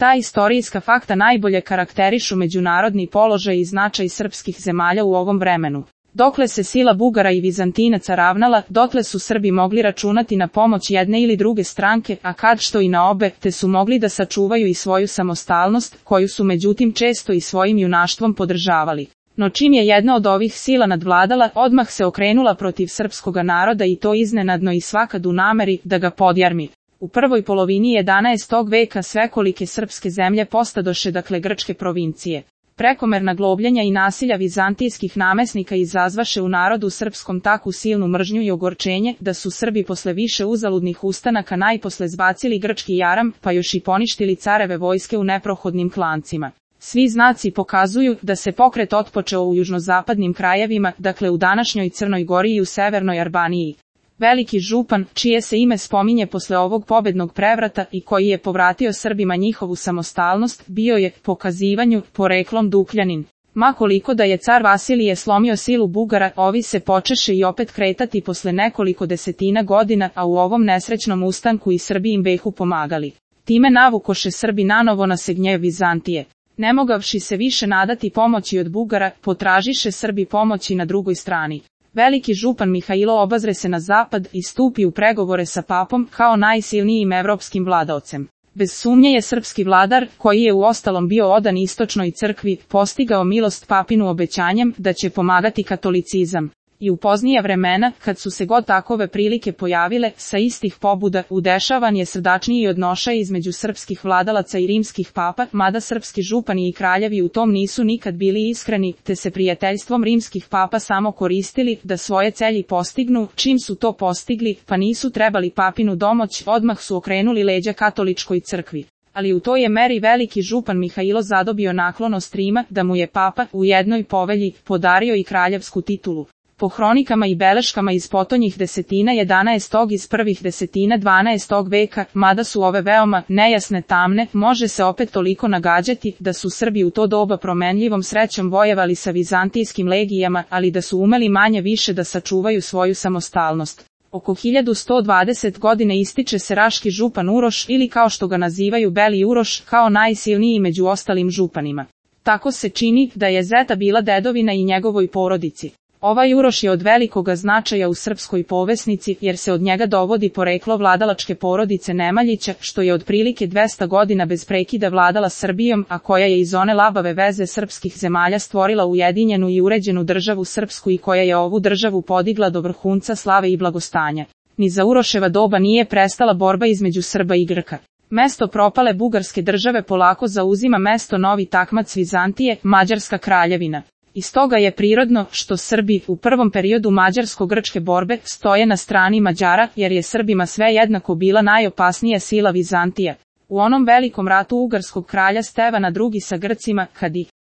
Ta istorijska fakta najbolje karakterišu međunarodni položaj i značaj srpskih zemalja u ovom vremenu. Dokle se sila Bugara i Vizantinaca ravnala, dotle su Srbi mogli računati na pomoć jedne ili druge stranke, a kad što i na obe, te su mogli da sačuvaju i svoju samostalnost, koju su međutim često i svojim junaštvom podržavali. No čim je jedna od ovih sila nadvladala, odmah se okrenula protiv srpskoga naroda i to iznenadno i svakad u nameri da ga podjarmi. U prvoj polovini 11. veka svekolike srpske zemlje postadoše dakle grčke provincije. Prekomerna globljenja i nasilja vizantijskih namesnika izazvaše u narodu srpskom takvu silnu mržnju i ogorčenje, da su Srbi posle više uzaludnih ustanaka najposle zbacili grčki jaram, pa još i poništili careve vojske u neprohodnim klancima. Svi znaci pokazuju da se pokret otpočeo u južnozapadnim krajevima, dakle u današnjoj Crnoj Gori i u severnoj Albaniji. Veliki župan, čije se ime spominje posle ovog pobednog prevrata i koji je povratio Srbima njihovu samostalnost, bio je, po kazivanju, poreklom Dukljanin. Ma koliko da je car Vasilije slomio silu Bugara, ovi se počeše i opet kretati posle nekoliko desetina godina, a u ovom nesrećnom ustanku i Srbi im behu pomagali. Time navukoše Srbi nanovo na se gnjev Vizantije. Ne mogavši se više nadati pomoći od Bugara, potražiše Srbi pomoći na drugoj strani. Veliki župan Mihajlo obazre se na zapad i stupi u pregovore sa papom kao najsilnijim evropskim vladaocem. Bez sumnje je srpski vladar, koji je uostalom bio odan istočnoj crkvi, postigao milost papinu obećanjem da će pomagati katolicizam. I u poznija vremena, kad su se god takove prilike pojavile, sa istih pobuda, udešavan je srdačniji odnošaj između srpskih vladalaca i rimskih papa, mada srpski župani i kraljevi u tom nisu nikad bili iskreni, te se prijateljstvom rimskih papa samo koristili da svoje celji postignu, čim su to postigli, pa nisu trebali papinu domoć, odmah su okrenuli leđa katoličkoj crkvi. Ali u toj je meri veliki župan Mihajlo zadobio naklonost Rima, da mu je papa, u jednoj povelji, podario i kraljevsku titulu. Po hronikama i beleškama iz potonjih desetina 11. iz prvih desetina 12. veka, mada su ove veoma nejasne tamne, može se opet toliko nagađati da su Srbi u to doba promenljivom srećom vojevali sa vizantijskim legijama, ali da su umeli manje više da sačuvaju svoju samostalnost. Oko 1120 godine ističe se raški župan Uroš ili kao što ga nazivaju Beli Uroš, kao najsilniji među ostalim županima. Tako se čini da je Zeta bila dedovina i njegovoj porodici. Ovaj Uroš je od velikoga značaja u srpskoj povesnici, jer se od njega dovodi poreklo vladalačke porodice Nemanjića, što je otprilike 200 godina bez prekida vladala Srbijom, a koja je iz one labave veze srpskih zemalja stvorila ujedinjenu i uređenu državu srpsku i koja je ovu državu podigla do vrhunca slave i blagostanja. Ni za Uroševa doba nije prestala borba između Srba i Grka. Mesto propale bugarske države polako zauzima mesto novi takmac Vizantije, Mađarska kraljevina. I stoga je prirodno što Srbi u prvom periodu mađarsko-grčke borbe stoje na strani Mađara, jer je Srbima sve jednako bila najopasnija sila Vizantija. U onom velikom ratu ugarskog kralja Stevana II sa Grcima, kad ih